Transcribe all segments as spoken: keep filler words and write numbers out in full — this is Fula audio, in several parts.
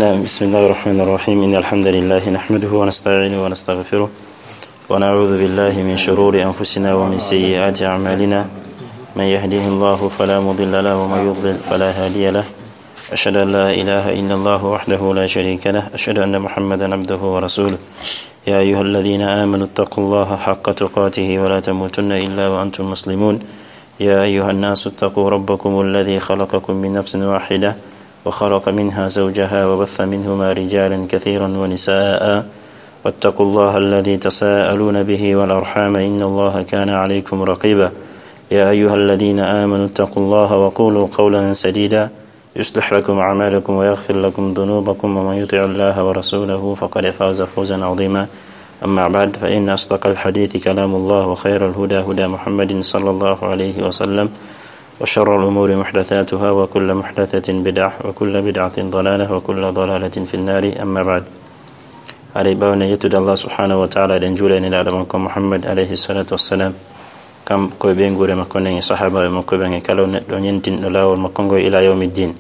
نعم، بسم الله الرحمن الرحيم. إن الحمد لله نحمده ونستعينه ونستغفره، ونعوذ بالله من شرور أنفسنا ومن سيئات أعمالنا. من يهده الله فلا مضل له، ومن يضلل فلا هادي له. أشهد أن لا إله إلا الله وحده لا شريك له. أشهد أن محمدا عبده ورسوله. يا أيها الذين آمنوا اتقوا الله حق تقاته ولا تموتن إلا وأنتم مسلمون. يا أيها الناس اتقوا ربكم الذي خلقكم من نفس واحدة وخلق منها زوجها وبث منهما رجالا كثيرا ونساء، واتقوا الله الذي تساءلون به والأرحام، إن الله كان عليكم رقيبا. يا أيها الذين آمنوا اتقوا الله وقولوا قولا سديدا، يصلح لكم أعمالكم ويغفر لكم ذنوبكم، ومن يطع الله ورسوله فقد فاز فوزا عظيما. أما بعد، فإن أصدق الحديث كلام الله، وخير الهدى هدى محمد صلى الله عليه وسلم، وشر الأمور محدثاتها، وكل محدثة بدعة، وكل بدعة ضلالة، وكل ضلالة في النار. أما بعد. Haray ɓaawo nde yettude Allah subhanahu wa ta'ala, eɗen juula e Nelaaɗo makko Muhammad alayhi salatu wassalam, kanko e ɓeynguure makko nden, e sahaabaaɓe makko ɓen, e kala neɗɗo ñentinɗo laawol makko ngol ila yawmi ddin.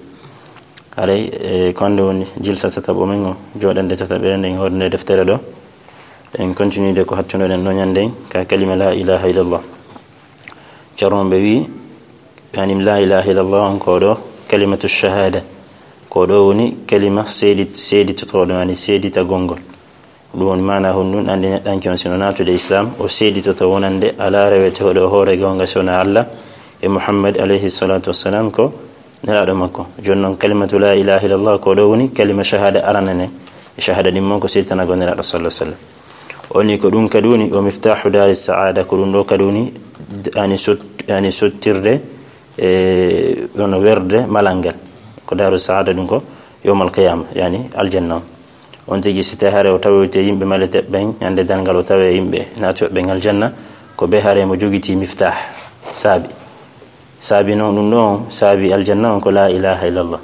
Haray, e, ko hannde woni jilsa tataɓo men o, jooɗannde tataɓere nden e hoore nde deftere ɗo. En continuide ko hattunoɗen ɗo ñande ka kalima la ilaha illallah. Ceerno ɓe wi, yani, la ilaha illallah on ko ɗo kalimatu shahada. Ko ɗo woni kalima seedi-, seeditotooɗo, yani seeditagol ngol. Ɗum woni maana honɗum, anndi neɗɗanke on sino naatude Islam, o seeditoto wonande alaa rewetooɗo e hoore goonga si wonaa Allah, e Muhammad alayhi salatu wassalam ko Nelaaɗo makko. Jooni noon, kalimatu la ilaha illallah ko ɗo woni kalima shahada arana nden. E shahada ɗin mon ko seeditanagol Nelaaɗo sallallahu alaihi wasallam. O ni ko ɗum kadi woni o miftahu dari saada, ko ɗum ɗo kadi woni ani sot-, ani sottirde e ɗon werde malal ngal. Ko daru saada ɗum ko yawmal qiyama, yani aljanna on. On tigi si tawi hare o tawoyte yimɓe malete ɓen, ñande darngal o tawe yimɓe naatoɓe ɓen aljanna, ko ɓe hare mo jogiti miftah, saabi. Saabi noon ɗum ɗo on, saabi aljanna on ko la ilaha illallah.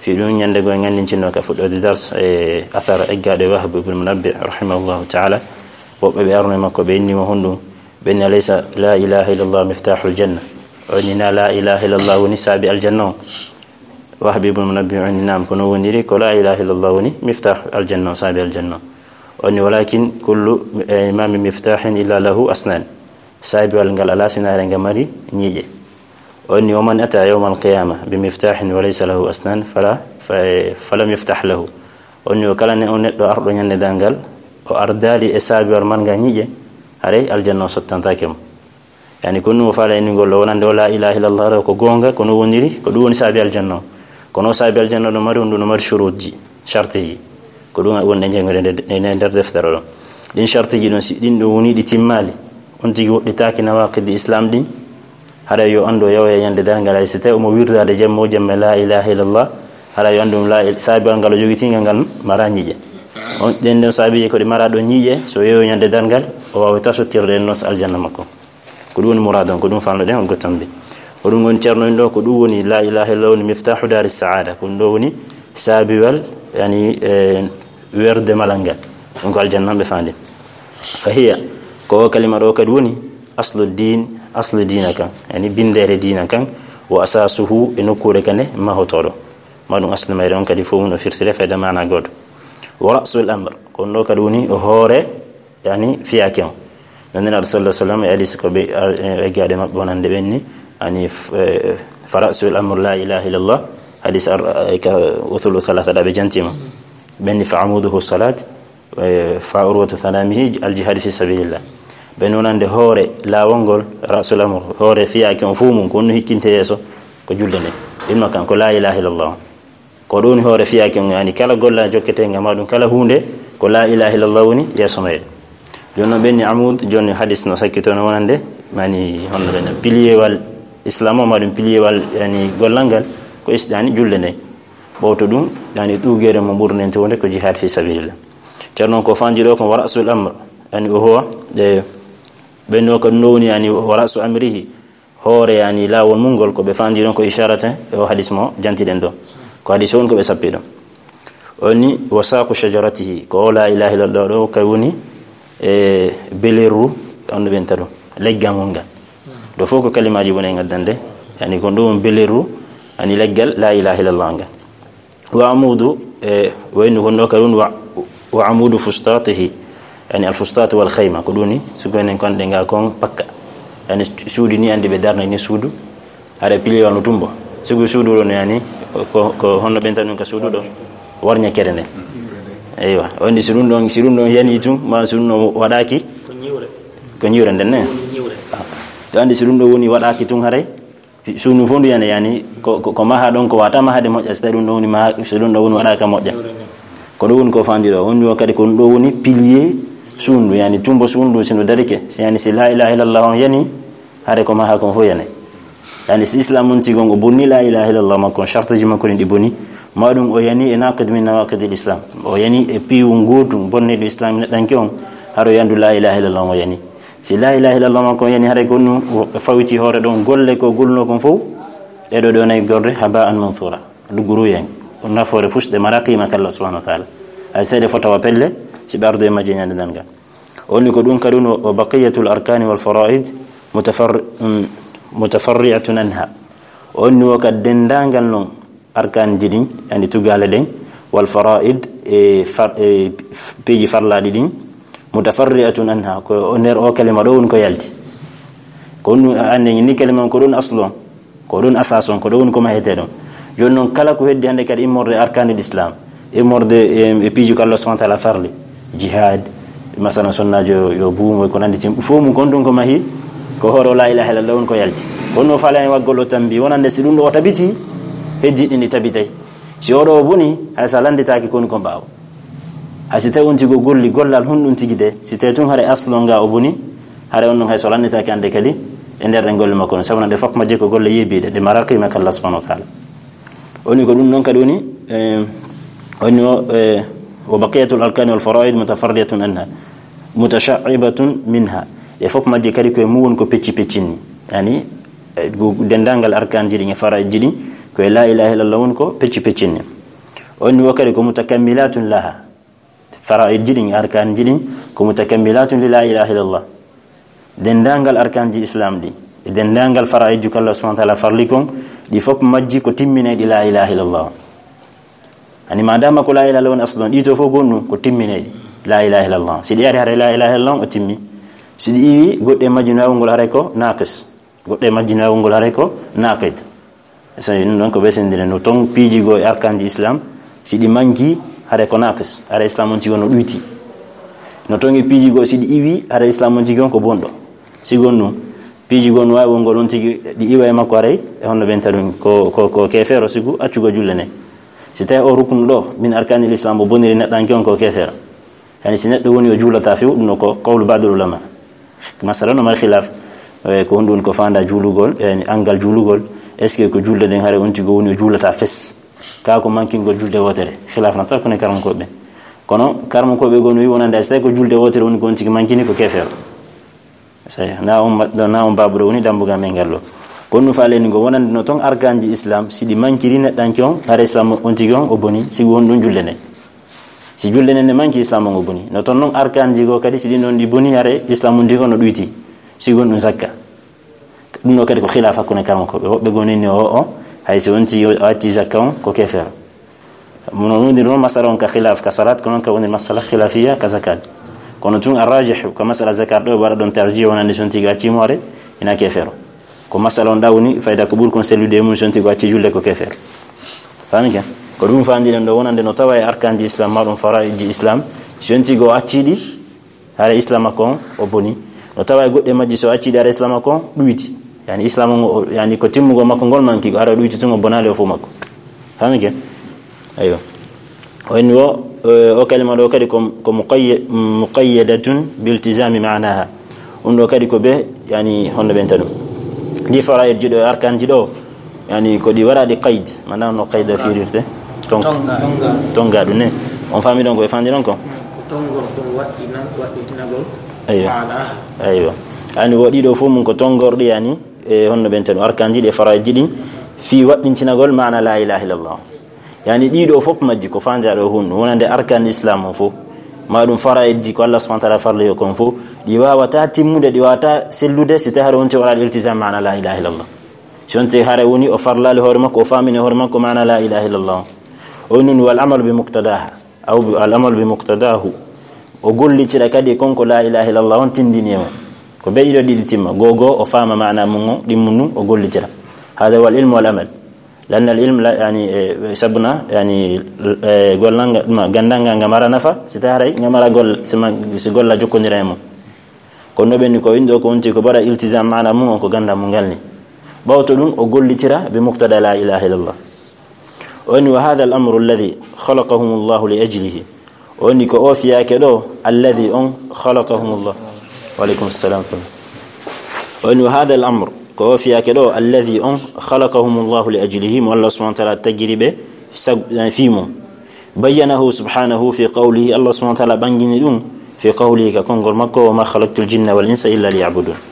Fii ɗum ñande goo en anndintinno ka fuɗɗoode dars e athar eggaaɗo e Wahb ibn Munabbih rahimahullahu ta'ala. Woɓɓe ɓe arno e makko ɓe inni mo honɗum, ɓe inni alaysa la ilaha illallah miftahul janna. O inni na la ilaha illallah woni saabi aljanna on. Wahb ibn Munabbih o inni naam, ko non woniri, ko la ilaha illallah woni miftah aljanna on, saabi aljanna on. O inni walakin kullu, eh, ma min miftahin illa lahu asnan. Saabiwal ngal alaa sinaare nga mari ñiiƴe. O inni, "Wa man ata yawmal qiyama bi miftahin wa laysa lahu asnan fala, fa, falam yuftah lahu." O inni, o kala ne, o neɗɗo arɗo ñande darngal, o ardaali e saabiwal marnga ñiiƴe, haray aljanna o sottantaake mo. Yani, ko ɗum o faala innugol ɗo, wonande o la ilaha illallah ɗo ko goonga, kono woniri, ko ɗum woni saabi aljanna o. Kono o saabi aljanna ɗo mari, on ɗum no mari shuruutji, shartiji. Ko ɗum woni ɗe janngude nde, nde, nde nder deftere ɗo. Ɗin shartiji ɗon, si ɗin ɗo woni ɗi timmaali, on tigi woɗɗitaaki nawaqidi Islam ɗin, haray yo anndu o yawoya ñande darngal, hay si tawi omo wirdaade jamma o jamma la ilaha illallah, haray yo anndu la il-, saabiwal ngal o jogitingal ngal mara ñiiƴe. On, ɗen ɗon saabiiji ko ɗi mara ɗon ñiiƴe, so yeeyo ñande darngal, o waawa tasottirde en nos aljanna makko. Ko ɗum woni muraad on, ko ɗum falnoɗen on gottam bi. Ko ɗum woni ceerno en ɗo, ko ɗum woni la ilaha illallah woni miftahu dari saada. Ko ɗum ɗo woni saabiwal, yani, e, werde malal ngal. Ɗum ko aljanna ɓe faandi. Fa hiya, ko o kalima ɗo kadi woni aslu din, aslu diina kan. Yani binndere diina kan, wa asasuhu e nokkuure kan e mahotoɗo. Ma ɗum aslu mayre on kadi fof mun o firtire fayda maana gooto. Wa ra'sul amr, ko ɗum ɗo kadi woni o hoore yani fiyaake on. No Nelaaɗo sallallahu alaihi wasallam e hadis ko ɓe, e, e gaade maɓɓe wonande ɓen ni, ani f-, e, fa ra'sul amr la ilaha illallah, hadis ar-, e, ka usulu thalatha ɗa ɓe jantima. Ɓen ni fa amuduhu salat, e, fa urwatu thanamihi al jihad fi sabilillah. Ɓen wonande hoore laawol ngol, ra'sul amr, hoore fiyaake on fuu mum, ko honno hikkinte yeeso, ko julde nde. Ɗin makkan ko la ilaha illallah. Ko ɗum woni hoore fiyaake on, yani kala golla jokketeenga ma ɗum, kala huunde, ko la ilaha illallah woni yeeso mayre. Jooni noon ɓen ni amud, jooni hadis no sakkito no wonande, mani honno ɓen piliyeewal Islam o, ma ɗum piliyeewal, yani gollal ngal, ko is-, yani julde nde. Ɓawto ɗum, yani ɗuugeere mo ɓurnente wonde ko jihad fi sabilillah. Ceerno noon ko fanji ɗo ko wa ra'sul amr, yani o huwa, e, ɓen no ko ɗum ɗo woni, yani wa ra'su amrihi, hoore, yani, laawol mum ngol, ko ɓe faandi ɗon ko isharata e o hadis mo jantiɗen ɗo. Ko hadis on ko ɓe sappi ɗon. O ni, wa saqu shajaratihi, ko o la ilaha illallah ɗo, kay woni e beleru, on no ɓenta ɗum, leggal mum ngal. Ɗo fof ko kalimaaji woni e ngaddande, yani, ko ɗum beleru, Ani leggal la ilaha illallah ngal. Wa amudu, e, waynu gonno ka ɗun wa, wa amudu fustatihi. Yani al fustatu wal khayma, ko ɗuni, sugonen kon ɗe nga kon pakka. Yani suudu ni andi ɓe darna ni suudu. Haɗa pilier wano tumbo. Sugu suudu ɗon yani, ko, ko honno ɓenta ɗun ka suudu ɗo. Warña kere nde. Eywa, o andi si ɗun ɗon, si ɗun ɗon yani tun, ma si ɗun ɗon waɗaki. Ko ñiwre. Ko ñiwre nden ne. Ko ñiwre. To andi si ɗun ɗon woni waɗaki tun haray. Suudu fof ndu yani, yani, ko, ko, ko maha ɗon, ko wata mahade moƴƴa, si tawi ɗun ɗon woni maha, si ɗun ɗon woni waɗaka moƴƴa. Ko ɗo woni ko fandi ɗo, woni o kadi ko ɗum ɗo woni pilier suudu, yani tumbo suudu, si no darike, si yani si la ilaha illallah on yani, hade ko maha kon fof yani. Yani si islam on sigon o bonni la ilaha illallah makko, shartiji makko ɗin ɗi boni, ma ɗum o yani e naqid min nawaqid al islam. O yani e piwu ngotu bonne ɗo islam neɗɗanke on, haɗo yandu la ilaha illallah o yani. Si la ilaha illallah makko yani, haɗa ko ɗum o fawiti hoore ɗon golle ko gulno kon fof, ɗe ɗo ɗo nayi gorde haba an mansura. Ɗugguruyen, nafoore fusɗe mara qima ka Allah subhanahu wa ta'ala. Ay seede fo tawa pelle, si ɓe ardo e majje ñande nanga. O woni ko ɗum kadi no, wa baqiyatul arkani wal faraid mutafar-, mm, mutafarri'atun anha. O woni o ka dendangal non arkanji ɗin, yani tugale ɗen, wal faraid e far-, e f-, piiji farlaɗi ɗin, mutafarri'atun anha, ko o nder o kalima ɗo woni ko yalti. Ko ɗum anne ni kalima on ko ɗum aslo. Ko ɗon asas on, ko ɗon woni ko mahete ɗon. Jooni noon, kala ko heddi hannde kadi immorde arkanil Islam, immorde e, e piiji ko Allah subhanahu wa ta'ala farli, jihad, masalan, sonnaajo yo, yo buumo, ko nanndi tim, fof mum kon ɗum ko mahi, ko hoore o la ilaha illallah woni ko yalti. Kono no faale en waggol o tambi, wonande si ɗum ɗo o tabiti, heddi ɗin ɗi tabitay. Si oɗo o boni, hay so a lannditaaki ko woni kon ɓaawo. Hay si tawi on tigi o golli gollal honɗum tigi de, si tawi tun haray aslo nga o boni, haray on non hay so lannitaaki hannde kadi e nder ɗen golle makko ɗen. Sabu no ɗe fof majje ko golle yeebiiɗe, ɗe mara qiima ka Allah subhanahu wa ta'ala. Woni ko ɗum non kadi woni, eh, woni o, eh, wa baqiyatul arkani wal faraid mutafarriatun anha, mutasha'ibatun minha. Ɗe fof majje kadi ko e mum woni ko pecci peccinni. Yani, eh, gu-, denndaangal arkaanji ɗin e faraa'idji ɗin, ko e la ilaha illallah woni ko pecci peccinni. On ni wo kadi ko mutakammilatun laha. Faraa'idji ɗin, arkaanji ɗin, ko mutakammilatun li la ilaha illallah. Denndaangal arkaanji Islam ɗi, e denndaangal faraa'idji ko Allah subhanahu wa ta'ala farli kon, ɗi fof majji ko timminayɗi la ilaha illallah. Ani ma dama ko la ilaha illallah woni aslu, ɗi to fof gonnu ko timminayɗi la ilaha illallah. Si ɗi ari hare la ilaha illallah o timmi. Si ɗi iwi goɗɗe majji no awngol hare ko naqis. Goɗɗe majji no awngol hare ko naqid. So ɗum ɗon ko ɓesindire no ton piiji goo e arkaanji Islam, si ɗi manki, hare ko naqis, hare Islam on tigi on no ɗuyti. No ton e piiji goo si ɗi iwi, hare Islam on tigi on ko bonɗo. Si gon ɗum, piiji goo no waawi wongol on tigi ɗi iwa e makko haray, e honno ɓenta ɗum ko, ko, ko keefeero sigu accugol julle ne. Si tawi o ruknu ɗo, min arkaanil Islam o boniri neɗɗanke on ko keefeero. Yani si neɗɗo woni o juulata few, ɗum ɗo ko qawlu ba'dul ulama. Masala no mari khilaf, eh, ko honɗum woni ko faanda juulugol, yani angal juulugol, est-ce que ko julde nden hare on tigi woni o juulata fes? Ka ko mankingol julde wootere. Khilaf na taw ko ne karam ko ɓe. Kono karam ko ɓe gonu wi wonande so tawi ko julde wootere woni ko on tigi mankini ko keefeero. Sey, na on ma-, na on babuɗo woni dambugal men ngal ɗo. Kono no faale ni ngo wonande no ton arkaanji Islam, si ɗi mankiri neɗɗanke on, hare Islam on tigi on o boni, si won ɗum julde nden. Si julde nden ne manki Islam on o boni. No ton non arkaanji goo kadi si ɗin ɗon ɗi boni, hare Islam on tigi on no ɗuyti. Si won ɗum zakka. Ɗum ɗo kadi ko khilaf hakkunde karam ko ɓe. Woɓɓe goo nini o, o, hay si on tigi o acci zakka on ko keefeero. Mono wondir noon masala on ka khilaf ka salat, ko noon ka wondir masala khilafiya ka zakat. Kono tun arrajih ko masala zakat ɗo, waɗa ɗon tarjih wonande si on tigi acci mo hare, ina keefeero. Ko masala on ɗawni, fayda ko ɓuri kon sellude e mum si on tigi acci julde ko keefeero. Faami ke? Ko ɗum faandiɗen ɗo wonande no tawa e arkaanji Islam, ma ɗum faraa'idji Islam, si on tigi o acci ɗi, hare Islam makko on o boni. No tawa e goɗɗe majji so acci ɗi hare Islam makko on ɗuyti. Yani Islam on o, yani ko timmugol makko ngol manki, hare o ɗuyti tun o bonaali o fof makko. Faami ke? Aywa. O inni o, eh, o kalima ɗo kadi ko, ko muqayya-, muqayyadatun biltizami ma'naha. Ɗum ɗo kadi ko be, yani, honno ɓenta ɗum. Ndi faraa'idji ɗo, arkaanji ɗo, yani, ko ɗi waɗaɗi qayd. Mana no qayda firirte? Tong-, tonga. Tonga ɗum ne. On faami ɗon ko ɓe faandi ɗon ko? Ko tongorɗo waɗɗina-, waɗɗintinagol. Aywa. Maana. Aywa. Yani, wo ɗiɗo fof mum ko tongorɗi, yani, e honno ɓenta ɗum. Arkaanji ɗi e faraa'idji ɗi, fii waɗɗintinagol maana la ilaha illallah. Yani ɗiɗo fof majji ko faandaa ɗo hunno, wonande arkaan Islam on fof, ma ɗum faraa'idji ko Allah subhanahu wa ta'ala farli yo kon fof, ɗi waawata timmude, ɗi waawata sellude, si tawi haɗa wonti waɗaade iltizam maana la ilaha illallah. Si wonti haray woni o farlaali hoore makko, o faamini hoore makko maana la ilaha illallah. O woni wal amalu bi muqtadaha, aw bi-, al amalu bi muqtadahu. O gollitira kadi kon ko la ilaha illallah on tindini e mo. Ko ɓe ɗiɗo ɗiɗi timma. Goo goo o faama maana mum on, ɗimmu ndun o gollitira. Hada wal ilmu wal amal. Lanna al ilm la, yani, eh, sabuna, yani, eh, gollal ngal, ma, gandal ngal nga mara nafa, si tawi haray nga mara golla, si ma, si golla jokkondira e mum. Kono ɓen ko inɗo ko wonti ko bara iltizam maana mum on ko gandal mum ngal ni. Ɓawto ɗum o gollitira bi muqtada la ilaha illallah. O woni wa hadha al amru alladhi khalaqahum Allahu li ajlihi. O woni ko o fiyaake ɗo, alladhi on khalaqahum Allah. Wa alaykum assalam. O woni wa hadha al amru, ko o fiyaake ɗo, alladhi on khalaqahum Allahu li ajlihi, mo Allah subhanahu wa ta'ala tagiri ɓe sag-, eh, fii mum. Bayyanahu subhanahu fi qawlihi, Allah subhanahu wa ta'ala ɓangini ɗum fi qawlihi ka konngol makko, wa ma khalaqtul jinna wal insa illa liya'budun.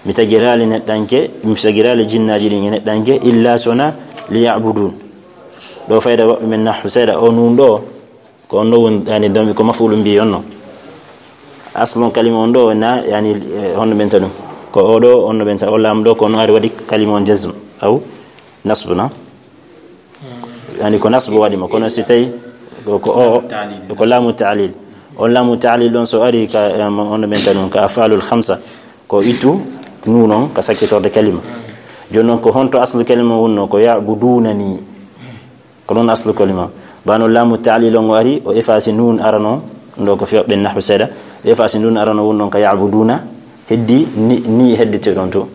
Mi tagiraali neɗɗanke, mi tagiraali jinnaaji ɗin e neɗɗanke, illa sona liya'budun. Ɗo fayda waɓɓe men nahwu seeɗa, o nun ɗo, ko on ɗo woni, yani, domi ko maf'ulun bihi on no. Aslun kalima on ɗo na, yani, eh, honno ɓenta ɗum. Ko o ɗo, honno ɓenta, o laamu ɗo, ko no ari waɗi kalima on jazm, aw nasbu na. Yani, ko nasbu waɗi mo, kono si tawi ko, ko o, ko laamu ta'lil. On laamu ta'lil ɗon so ari ka, em, honno ɓenta ɗum, ka af'alul khamsa, ko ittu nun on ka sakkitorde kalima. Jooni non ko honto aslu kalima wonno, ko ya'budunani. Ko ɗon aslu kalima. Bano laamu ta'lil on o ari, o efasi nun arano, ɗo ko fiyo ɓen nahwu seeɗa. O efasi nun arano won ɗon ka ya'buduna, heddi ni, ni heddi te ɗon to.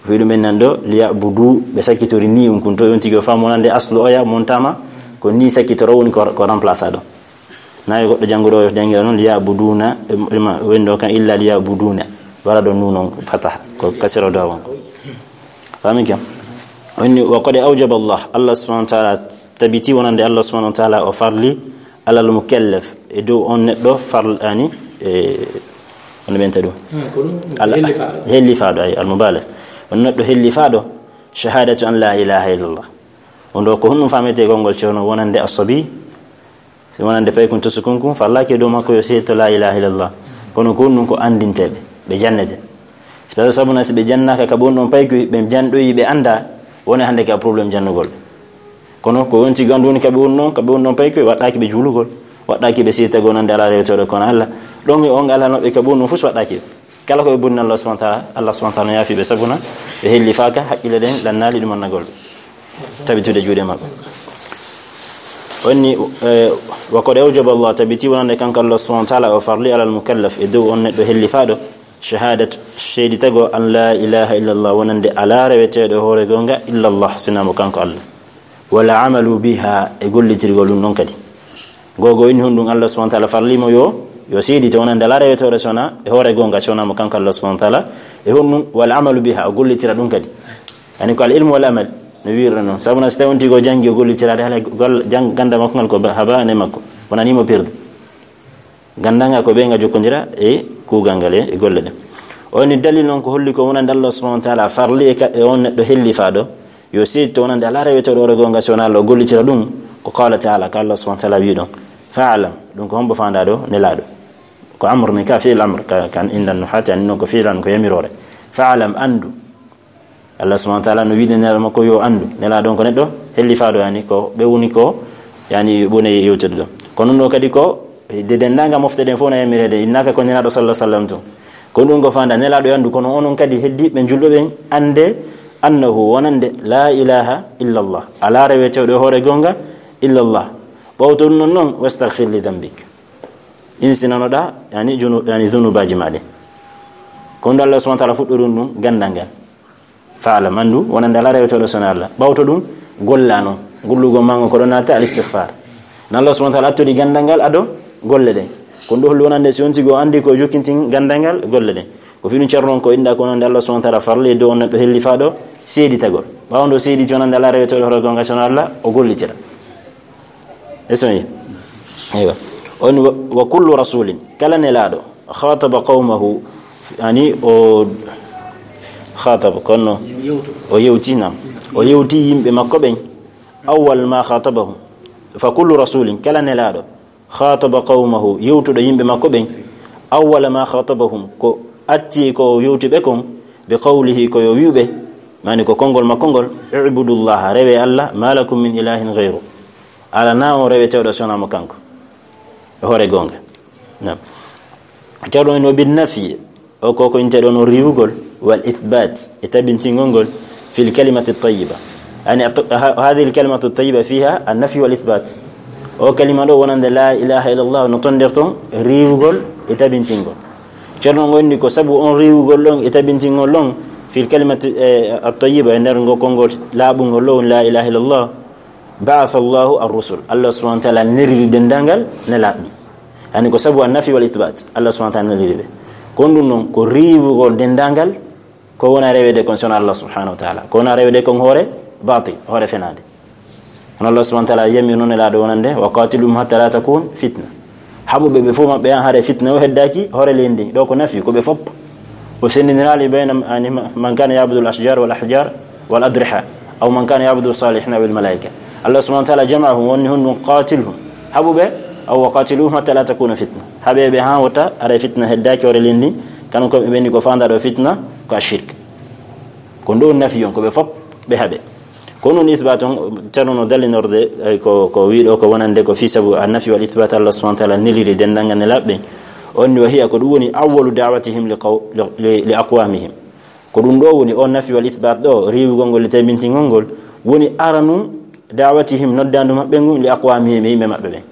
Fi ɗum en nan ɗo, liya'budu, ɓe sakkitori ni un kun to, on tigi o faamu wonande aslu oya montama, ko ni sakkitoro woni ko, ko remplace ɗo. Na yo goɗɗo jannguɗo o jangira non, liya'buduna, em, em, wendo kan illa liya'buduna. Wala ɗo nun on fataha, ko kasira do won. Faamin kam? Woni, wa qad awjaba Allah, Allah subhanahu wa ta'ala tabiti wonande Allah subhanahu wa ta'ala o farli alal mukallaf, e dow on neɗɗo farl-, ani, e, on ɓenta ɗum. Hmm, ko ɗum, Al-, hellifaaɗo. Hellifaaɗo, ay, al mubalag. On neɗɗo hellifaaɗo, shahadatu an la ilaha illallah. On ɗo ko honɗum faamete konngol ceerno wonande asabi? Si wonande paykun to sukun kun, farlaaki e dow makko yo seedo la ilaha illallah. Kono ko honɗum ko andinteeɓe, ɓe jannete. Parce que sabuna si ɓe jannaaka ka ɓe woni ɗon paykoy, ɓe janɗoyi, ɓe annda, woni hannde ka problème janndugol. Kono ko wonti gandu woni ka ɓe woni ɗon, ka ɓe woni ɗon paykoy, waɗɗaaki ɓe juulugol, waɗɗaaki ɓe siita gonande alaa rewetooɗo kono Allah. Ɗon e on alaa maɓɓe ka ɓe woni ɗon fof waɗɗaaki ɓe. Kala ko ɓe bonni Allah subhanahu wa ta'ala, Allah subhanahu wa ta'ala no yaafi ɓe sabuna ɓe hellifaaka, haqqille ɗen lannaali ɗum annagol ɓe. Tabitude juuɗe maɓɓe. Onni, eh, wa qad awjaba Allah, tabiti wonande kanko Allah subhanahu wa ta'ala o farli alal mukallaf e dow on neɗɗo hellifaaɗo, shahadat, seeditago an la ilaha illallah, wonande alaa reweteeɗo e hoore goonga illallah, sinaa mo kanko Allah. Wala amalu biha, e gollitirgol ɗum ɗon kadi. Gogo inni honɗum Allah subhanahu wa ta'ala farli mo yo, yo seedito wonande alaa reweteeɗo sona e hoore goonga sona mo kanko Allah subhanahu wa ta'ala. E honɗum wal amalu biha, o gollitira ɗum kadi. Yani ko al ilmu wal amal, no wi'irɗo noon. Sabu na so tawi on tigi o janngi o gollitiraade, hala gol-, jang-, ganda makko ngal ko ba-, haba ne makko. Wonani mo perdu. Gandal ngal ko ɓe nga jokkondira e kuugal ngal e, e golle ɗen. O ni dalil noon ko holli ko wonande Allah subhanahu wa ta'ala farli e ka-, e on neɗɗo hellifaaɗo, yo seedito wonande alaa reweteeɗo hoore goonga si wonaa Allah, o gollitira ɗum, ko qala ta'ala, ka Allah subhanahu wa ta'ala wi ɗon, fa'lam, ɗum ko hombo faandaa ɗo, nelaaɗo? Ko amr ni ka fi'il amr, ka, kan inda nuhati, ani noon ko fi'il amr, ko yamiroore. Fa'lam, anndu. Allah subhanahu wa ta'ala no wi'de nelaaɗo makko yo anndu. Nelaaɗo on ko neɗɗo hellifaaɗo, yani ko ɓe woni ko, yani woni yewtude ɗo. Kono ɗum ɗo kadi ko de denndaangal mofte ɗen fof na yamireede, innaka ko nelaaɗo sallallahu alaihi wasallam tun. Ko ɗum ko faandaa nelaaɗo yo anndu, kono onon kadi heddiiɓe julɓe ɓen annde annahu wonande la ilaha illallah. Alaa reweteeɗo e hoore goonga illallah. Ɓawto ɗum noon noon, wastaghfir li dhanbik. Insinanoɗaa, yani junu-, yani zunubaaji maa ɗin. Ko ɗum Allah subhanahu wa ta'ala fuɗɗori ɗum gandal ngal. Fa'lam, anndu, wonande alaa reweteeɗo sona Allah. Ɓawto ɗum, golla noon. Gollugol maa ngol ko ɗon naata al istighfar. Na Allah subhanahu wa ta'ala attodi gandal ngal ado golle ɗen. Ko ɗum ɗo holli wonande si on tigi o anndi ko jokkintin gandal ngal golle ɗen. Ko fi ɗum ceerno on ko inɗa ko wonande Allah subhanahu wa ta'ala farli e dow on neɗɗo hellifaaɗo seeditagol. Ɓaawo nde o seediti wonande alaa reweteeɗo hoore goonga sona Allah, o gollitira. Esoni. Eywa. On wa, wa kullu rasulin, kala nelaaɗo, khataba qawmahu, ani o khataba, kono o yewti, nam. O yewti yimɓe makko ɓen. Awwal ma khatabahum. Fa kullu rasulin, kala nelaaɗo, khataba qawmahu, yewtuɗo yimɓe makko ɓen. Awwal ma khatabahum, ko atti ko o yewti ɓe kon, bi qawlihi, ko yo wi'u ɓe, Mani ko konngol makko ngol, "Ubudullaha, rewe Allah, ma lakum min ilahin ghayru." Alaa on reweteeɗo so wonaa mo kanko. E hoore goonga. Naam. Ceerno en o bin nafi, o ko ko inte ɗon o riiwugol, wal ithbat, e tabintingol ngol, fil kalimati tayyiba. Yani, at-, ha-, hadhihi al kalimatu tayyiba fiha an nafi wal ithbat. O kalima ɗo wonande la ilaha illallah no ton nder ton riiwugol e tabintingol. Ceerno ngo inni ko sabu on riiwugol ɗon e tabintingol ɗon fil kalimati, eh, at-tayyiba, e nder ngo konngol laaɓungol ɗo woni la ilaha illallah, ba'atha Allahu ar-rusul. Allah subhanahu wa ta'ala neliri denndaangal nelaaɓe. Yani ko sabu an nafi wal ithbat. Allah subhanahu wa ta'ala neliri ɓe. Ko ɗum noon ko riiwugol denndaangal ko wona reweede kon so wonaa Allah subhanahu wa ta'ala. Ko wona reweede kon hoore batil, hoore fenaande. Kono Allah subhanahu wa ta'ala yami noon e laaɗo wonande, "Wa qatiluhum hatta la takun fitna." Haɓu ɓe, ɓe fof maɓɓe han haɗa fitna o heddaaki hoore leydi ndi. Ɗo ko nafi, ko ɓe fof. O senndiniraali bayna, yani, ma-, man kana ya'budu al-ashjar wal ahjar wal adriha, aw man kana ya'budu salihin aw al malaika. Allah subhanahu wa ta'ala jama'ahum, wonni honɗum qatilhum. Haɓu ɓe, aw wa qatiluhum hatta la takuna fitna. Haɓe ɓe han wota haɗa fitna heddaaki hoore leydi ndi. Kano ko ɓe ɓenni ko faandaa ɗo fitna, ko ashirk. Ko ɗo nafi on, ko ɓe fof ɓe haɓe. Ko noon isbat on, Ceerno no dallinorde, eh, ko, ko wiɗo ko wonande ko fii sabu an nafi wal isbat Allah subhanahu wa ta'ala neliri denndaangal nelaaɓe ɓen. On ni wa hiya ko ɗum woni awwalu da'watihim li qaw-, li, li, li aqwamihim. Ko ɗum ɗo woni on nafi wal isbat ɗo, riiwugol ngol e tabintingol ngol, woni aranu da'watihim noddaandu maɓɓe ngun li aqwamihim e yimɓe maɓɓe ɓen.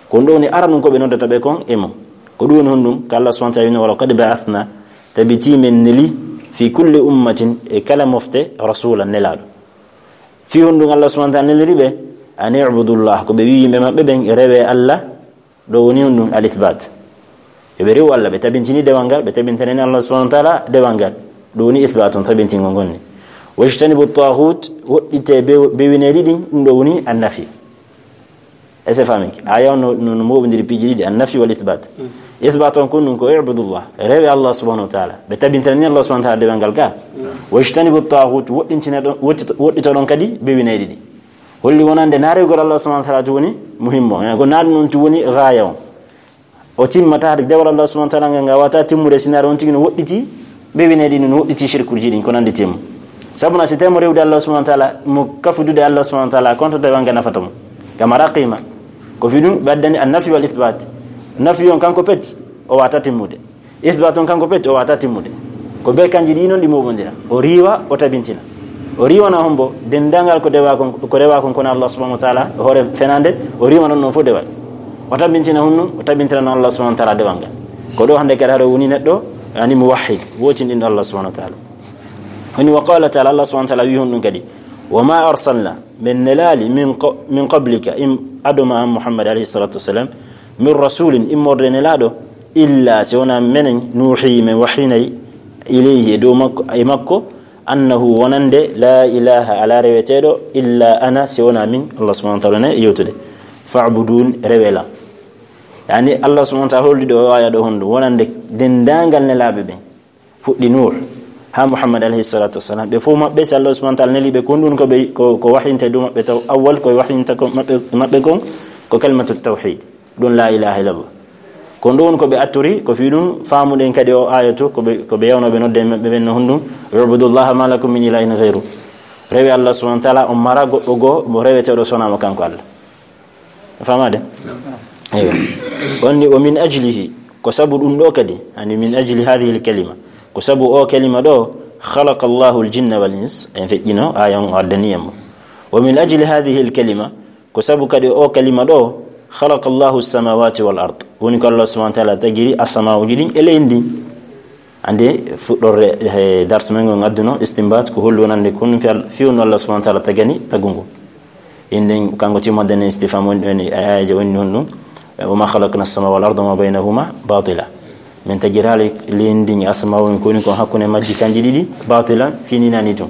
Ko ɗum ɗo woni aranu ko ɓe noddata ɓe kon e mum. Ko ɗum woni honɗum? Ko Allah subhanahu wa ta'ala wini, "Wa laqad ba'athna", tabitii men neli, "fi kulli ummatin", e kala mofte, "rasulan", nelaaɗo. Fii honɗum Allah subhanahu wa ta'ala neliri ɓe? "An i'budullah", ko ɓe wi'i yimɓe maɓɓe ɓen, "Rewe Allah", ɗo woni honɗum? Al ithbat. Yo ɓe rewu Allah, ɓe tabintini dewal ngal, ɓe tabintanani Allah subhanahu wa ta'ala dewal ngal. Ɗum woni ithbat on, tabintingol ngol ni. "Wajtanibu taghut", woɗɗite bew-, bewineeɗi ɗin, ɗum ɗo woni an nafi. Est-ce que faamike? Aya on no, no, no mooɓondiri piiji ɗiɗi, an nafi wal ithbat. Ithbat on kon ɗum ko "I'budullah", rewe Allah subhanahu wa ta'ala. Ɓe tabintinani Allah subhanahu wa ta'ala dewal ngal ka. "Wajtanibu taghut", woɗɗintina ɗon, woɗɗito-, woɗɗito ɗon kadi bewineeɗi ɗi. Holli wonande na rewgol Allah subhanahu wa ta'ala tun woni muhimmo. Ko na ɗum on tun woni gaaya on. O timmata, dewal Allah subhanahu wa ta'ala ngal, ngal wata timmude si na on tigi no woɗɗiti bewineeɗi ɗin, no woɗɗiti shirkuuji ɗin, ko nanndi timmu. Sabu na si temo rewde Allah subhanahu wa ta'ala, mo kafudude Allah subhanahu wa ta'ala, konto dewal ngal nafata mo. Kama raqima. Ko fii ɗum ɓe addani an nafi wal ithbat. Nafi on kanko pet, o wata timmude. Ithbat on kanko pet, o wata timmude. Ko be kanji ɗi non ɗi mooɓondira. O riiwa, o tabintina. O riiwana hombo, denndaangal ko dewa kon, ko rewa kon kono Allah subhanahu wa ta'ala, hoore fenaande, o riiwana non fof dewal. O tabintina honɗum, o tabintina non Allah subhanahu wa ta'ala dewal ngal. Ko ɗo hannde kadi haɗo woni neɗɗo, yani muwahhid, wootinɗinɗo Allah subhanahu wa ta'ala. Woni wa qala ta'ala, Allah subhanahu wa ta'ala wi honɗum kadi, "Wa ma arsalna", men nelaali, "min qa-, min qablika", im adoma an Muhammad alayhi salatu wassalam, "min rasulin", immorde nelaaɗo, "illa", si wona menen, "nuhi", men wahyinay, "ilayhi", e dow makko, e makko, "annahu", wonande, "la ilaha", ala reweteeɗo, "illa ana", si wona min, Allah subhanahu wa ta'ala ne yewtude, "fa'budun", rewe lan. Yani, Allah subhanahu wa ta'ala holdi ɗo o aya ɗo honɗum, wonande denndaangal nelaaɓe ɓen. Fuɗɗi Nuh haa Muhammad alayhi salatu wassalam. Ɓe fof maɓɓe, si Allah subhanahu wa ta'ala neli ɓe, ko ɗum ko ɓe, ko, ko wahyinte dow maɓɓe taw, awwal ko wahyinta ko maɓɓe, maɓɓe kon, ko kalimatu tawhid. Ɗum la ilaha illallah. Ko ɗum ko ɓe atturi, ko fii ɗum faamuɗen kadi o ayatu, ko ɓe, ko ɓe yawnooɓe nodde maɓɓe ɓen no honɗum, "Ubudullaha ma lakum min ilahin ghayru." Rewe Allah subhanahu wa ta'ala, on mara goɗɗo goo mo reweteeɗo sonaa mo kanko Allah. Famade? Eywa. On ni, "Wa min ajlihi", ko sabu ɗum ɗo kadi, yani min ajli hadhihi al kalima, ko sabu o kalima ɗo, "khalaqa Allahu al jinna wal ins", en feƴƴino, aya on o addani en mo. "Wa min ajli hadhihi al kalima", ko sabu kadi o kalima ɗo, "khalaqa Allahu as samawati wal ard", woni ko Allah subhanahu wa ta'ala tagiri asamaaji ɗin e leydi ndin. Ande fuɗɗorde he dars men ngon adduno istinbat ko holli wonande kun fi al-, fi wonno Allah subhanahu wa ta'ala tagani tagungu. Inden kanko timmoden istifham woni, woni, ayaje woni non ɗum. "Wa ma khalaqna as-sama wal arda wa ma baynahuma batila." Min tagirali leydi ndin e asama woni ko woni ko hakkunde majji kanji ɗiɗi batilan, fini nani tun.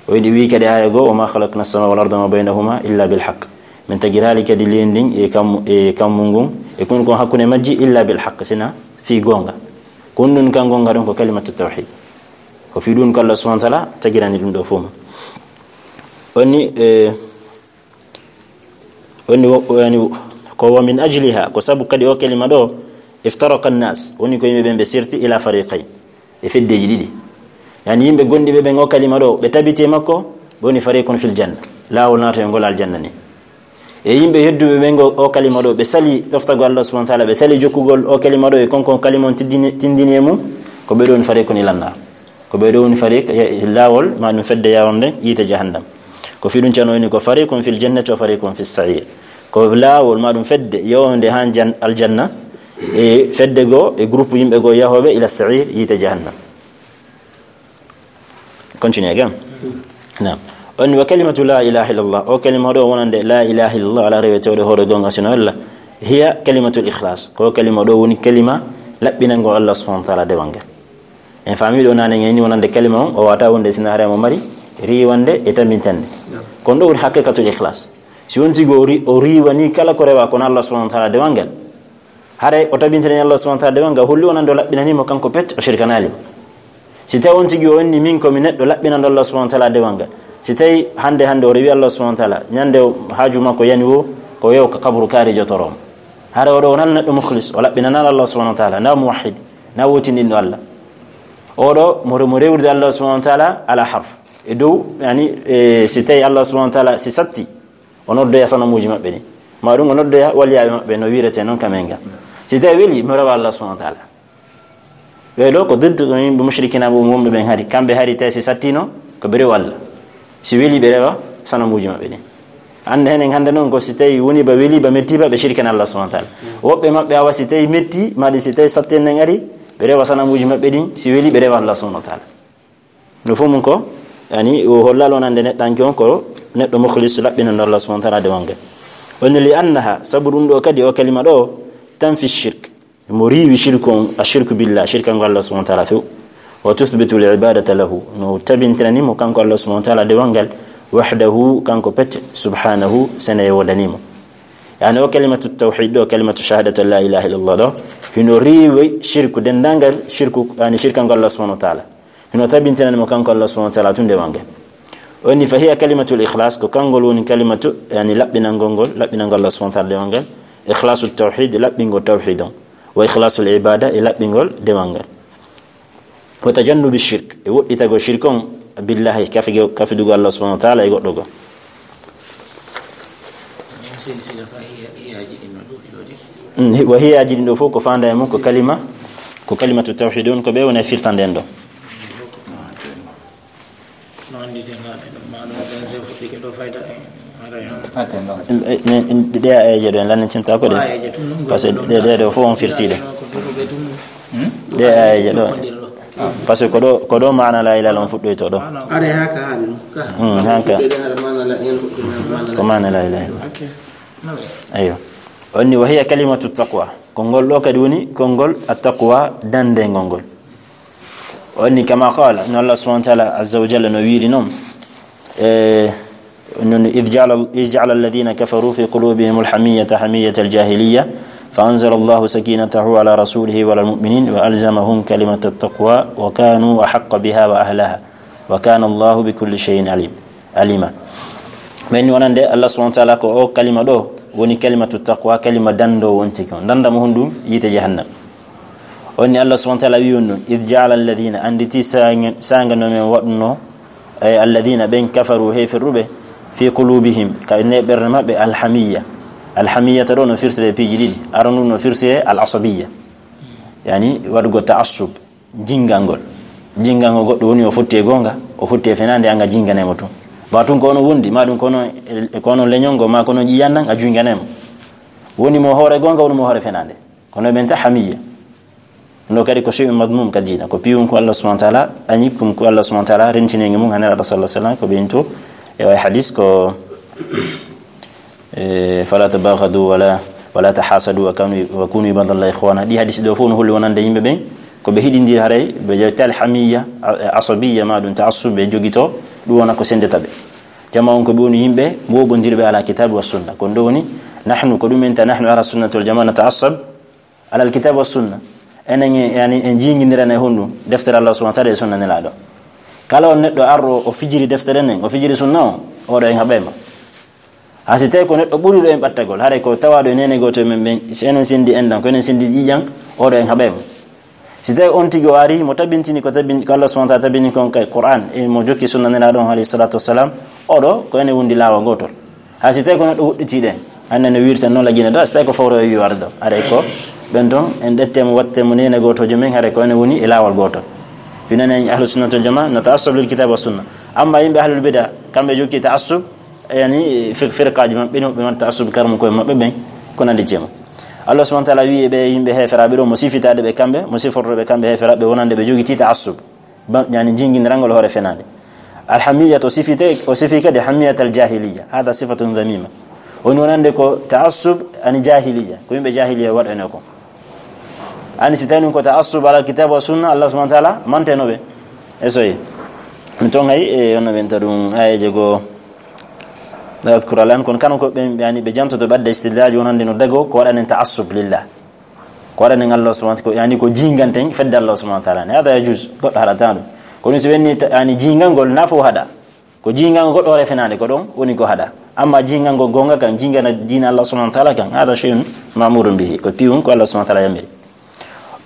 O yiɗi wi kadi aya go, "Wa ma khalaqna as-sama wal arda wa ma baynahuma illa bil haqq." Min tagirali kadi leydi ndin e kam-, e kammu ngun, e kun ko hakkunde majji illa bil haqq, sina fi gonga. Kun ɗun kan gonga ɗon ko kalimatu tawhid. Ko fi ɗun ko Allah subhanahu wa ta'ala tagirani ɗum ɗo fof ma. Onni, e, onni wo-, yani, ko wa min ajliha, ko sabu kadi o kalima ɗo, "iftaraqa an-nas", woni ko yimɓe ɓen ɓe serti ila fariqayn, e feddeji ɗiɗi. Yani yimɓe gonɗiɓe ɓen o kalima ɗo, ɓe tabiti e makko, ɓe woni fariqun fil janna. Laawol naatoyngol aljanna ni. E yimɓe yedduɓe ɓen ngo o kalima ɗo, ɓe sali ɗoftagol Allah subhanahu wa ta'ala, ɓe sali jokkugol o kalima ɗo e kon kon kalima on tiddini, tindini e mum, ko ɓe ɗo woni fariqun ilan nar. Ko ɓe ɗo woni fariq, e, laawol, ma ɗum fedde yaronde yiite jahannam. Ko fii ɗum cano woni ko fariqun fil jannati wa fariqun fis sa'ir. Ko laawol, ma ɗum fedde yawonde han jan-, aljanna, e fedde goo, e groupe yimɓe goo yahooɓe ila sa'ir, yiite jahannam. Continue again. Naam. On wa kalimatu la ilaha illallah. O kalima ɗo wonande la ilaha illallah, ala rewetewɗo hoore goonga sino Allah. Hiya kalimatul ikhlas. Ko kalima ɗo woni kalima laɓɓinango Allah subhanahu wa ta'ala dewal ngal. En faami ɗo nane ngeni wonande kalima on, o wata wonde sina hare mo mari riwande e tambintande. Kon ɗo woni haqiqatul ikhlas. Si on tigi o ri-, o riwani kala ko rewa kono Allah subhanahu wa ta'ala dewal ngal. Haray o tabintini Allah subhanahu wa ta'ala dewal ngal, holli wonande o laɓɓinani mo kanko pet, o shirkanaali mo. Si tawi on tigi o inni, "Min ko mi neɗɗo laɓɓinanɗo Allah subhanahu wa ta'ala dewal ngal." Si tawi hande, hande o rewi Allah subhanahu wa ta'ala, ñande o haaju makko yani wo, ko yew ka kaburu kaari jotoro mo. Haray oɗo wonal neɗɗo mukhlis, o laɓɓinanal Allah subhanahu wa ta'ala, na muwahhid, na wotinɗinɗo Allah. Oɗo mo, mo rewrude Allah subhanahu wa ta'ala ala harf. E dow, yani, e, si tawi Allah subhanahu wa ta'ala si satti, o noddoya sanamuuji maɓɓe ɗin. Ma ɗum o noddoya waliyaaɓe maɓɓe no wiirete noon ka men ga. Si tawi weli, mi rewa Allah subhanahu wa ta'ala. Ɓe ɗo ko diddu ɗum yimɓe mushrikina ɓe wonɓe ɓen hari. Kamɓe hari tawi si sattino, ko ɓe rewa Allah. Si weli ɓe rewa sanamuuji maɓɓe ɗin. Hannde henen hannde noon ko si tawi woni ba weli ba metti ba ɓe shirkana Allah subhanahu wa ta'ala. Woɓɓe maɓɓe awa si tawi metti, ma ɗi si tawi satten nen ari, ɓe rewa sanamuuji maɓɓe ɗin, si weli ɓe rewa Allah subhanahu wa ta'ala. No fof mum ko, yani, o hollal wonande neɗɗanke on ko neɗɗo mukhlis laɓɓinanɗo Allah subhanahu wa ta'ala dewal ngal. O inni li annaha, sabu ɗum ɗo kadi o kalima ɗo, tanfi shirk. Mo riiwi shirku on, ashirku billah, shirkango Allah subhanahu wa ta'ala few. Wa tuthbitu al-ibadata lahu. No tabintinani mo kanko Allah subhanahu wa ta'ala dewal ngal, wahdahu, kanko pet, subhanahu, sene e wodani mo. Yani o kalimatu tawhid ɗo, kalimatu shahadatu an la ilaha illallah ɗo, hino riiwi shirku, dendangal shirku, yani shirkango Allah subhanahu wa ta'ala. Hino tabintinani mo kanko Allah subhanahu wa ta'ala tun dewal ngal. O inni, fa hiya kalimatul ikhlas, ko kangol woni kalimatu, yani laɓɓinangol ngol, laɓɓinangol Allah subhanahu wa ta'ala dewal ngal. Ikhlasu tawhid, laɓɓingol tawhid on. Wa ikhlasul ibada, e laɓɓingol dewal ngal. Wa tajannubi shirk, e woɗɗitagol shirk on, billahi, kafige-, kafidugol Allah subhanahu wa ta'ala e goɗɗo goo. Mm, hi-, wa hiyaaji ɗin ɗo fof ko faanda e mum ko kalima, ko kalimatu tawhid on, ko ɓe woni e firtande en ɗo. Ɗe ayeeje ɗo en lannitinta ko ɗe. Parce que ɗe, ɗe ɗo fof on firtiiɗe. Ɗe ayeeje ɗo. Parce que ko ɗo, ko ɗo maana la ilaha illallah on fuɗɗoyto ɗo. Are haka hali no. Hmm, haka. Fuɗɗoyde hara maana la ilaha illallah. Ko maana la ilaha illallah. Ayyo. On ni wa hiya kalimatu taqwa. Konngol ɗo kadi woni konngol at-taqwa, dandengol ngol. On ni kama qala, no Allah subhanahu wa ta'ala azza wa jalla no wiiri non. E, non, "Idh ja'ala, idh ja'ala alladhina kafaru fi qulubihim al-hamiyyata hamiyyatal jahiliyya, fa anzala Allahu sakinatahu ala rasulihi wa ala al-mu'minin wa alzamahum kalimata at-taqwa wa kanu ahaqqa biha wa ahlaha. Wa kana Allahu bi kulli shay'in alim." Alima. Men wonande Allah subhanahu wa ta'ala ko o kalima ɗo woni kalimatu taqwa, kalima dando on tigi on. Danda mo hundum yiite jahannam. On ni Allah subhanahu wa ta'ala wi on ɗum, "Idh ja'ala alladhina", anditi sanga, sanga no men waɗuno, e alladhina ɓen kafaru heferuɓe, fi qulubihim, ka ne ɓerɗe maɓɓe, alhamiyya. Alhamiyya ta ɗo no firsire piiji ɗiɗi. Aranun no firsire al-asabiyya. Yani waɗugo ta'assub. Jingangol. Jingangol goɗɗo woni o fotti e goonga, o fotti e fenaande, anga jingane mo tun. Ba tun ko ono wondi, ma ɗum ko ono, ko ono leñol ngol, ma ko ono ƴiiƴan ɗan, a jingane mo. Woni mo hoore goonga, woni mo hoore fenaande. Kono ɓen ta hamiyya. No kadi ko shay'un madmum ka diina, ko piwum ko Allah subhanahu wa ta'ala, añi kum ko Allah subhanahu wa ta'ala, rentinengi mum, hanera Rasul sallallahu alaihi wasallam, ko ɓen to, e way hadis ko, e, "Fala tabaghadu wala, wala tahasadu wa kanu, wa kunu ibadallahi ikhwana." Ɗi hadis ɗo fof no holli wonande yimɓe ɓen, ko ɓe hiɗindiri haray, ɓe ƴeewta al hamiyya, a-, asabiyya, ma ɗum ta'assub, ɓe jogito, ɗum wona ko sendata ɓe. Jama on ko ɓe woni yimɓe mooɓondirɓe ala kitabi wa sunna. Ko ɗum woni, nahnu, ko ɗum en ta, nahnu ala sunnati wal jamaa nata'assab, alal kitabi wa sunna. Enen e, yani, en jingindiran e honɗum? Deftere Allah subhanahu wa ta'ala e sunna Nelaaɗo. Kala on neɗɗo arɗo o fijiri deftere nden, o fijiri sunna o, oɗo en haɓay mo. Ha si tawi ko neɗɗo ɓuriɗo en ɓattagol, haray ko tawaɗo e nene gooto e men ɓen, si enen sendi enɗan, ko enen sendi ƴiiƴan, oɗo en haɓay mo. Si tawi on tigi o ari, mo tabintini ko tabin-, ko Allah subhanahu wa ta'ala tabini kon kay Qur'an, e mo jokki sunna Nelaaɗo on alayhi salatu wassalam, oɗo ko ene wondi laawa gotol. Hay si tawi ko neɗɗo huɗɗiti ɗen, hannde no wirta noon lagine ɗo, si tawi ko fawre o wi'i wara ɗo. Haray ko ɓen ton, en ɗette mo, watte mo nene gotojo men, haray ko ene woni e laawol gotol. Fi nane en ahlu sunnati wal jamaa, na ta'assub lil kitab wa sunna. Amma yimɓe ahlul bid'a, kamɓe jokki ta'assub, yani fir-, firqaaji maɓɓe ɗin, ɓe waɗa ta'assub karamu koye maɓɓe ɓen, ko nandi ceemo. Allah subhanahu wa ta'ala wi'i ɓe yimɓe heeferaaɓe ɗo, mo sifitaade ɓe kamɓe, mo siforto ɓe kamɓe heeferaaɓe, wonande ɓe jogiti ta'assub. Ba, yani jingindirangol hoore fenaande. Alhamiyya to sifite, o sifi kadi hamiyat al jahiliya. Hada sifatun zamima. Woni wonande ko ta'assub ani jahiliya. Ko yimɓe jahiliya waɗano ko. Ani si tawi ɗum ko ta'assub ala kitab wa sunna, Allah subhanahu wa ta'ala manteno ɓe. E soyi. Mi ton hay, e, onno ɓen ta ɗum ayeje goo. La adhkuru al'an, kono kano ko ɓen, yani, ɓe jantoto ɓadde istidlaaji wonande no dago ko waɗanen ta'assub lillah. Ko waɗanen Allah subhanahu wa ta'ala, ko, yani, ko jinganten fedde Allah subhanahu wa ta'ala. Ne, hada yajuz, goɗɗo haɗata ɗum. Kono si wenni ta-, yani, jingangol na fof haɗa. Ko jingangol goɗɗo hoore fenaande ko ɗon woni ko haɗa. Amma jingangol gonga kan, jingana diina Allah subhanahu wa ta'ala kan, hada shay'un ma'murun bihi. Ko piwun ko Allah subhanahu wa ta'ala yamiri.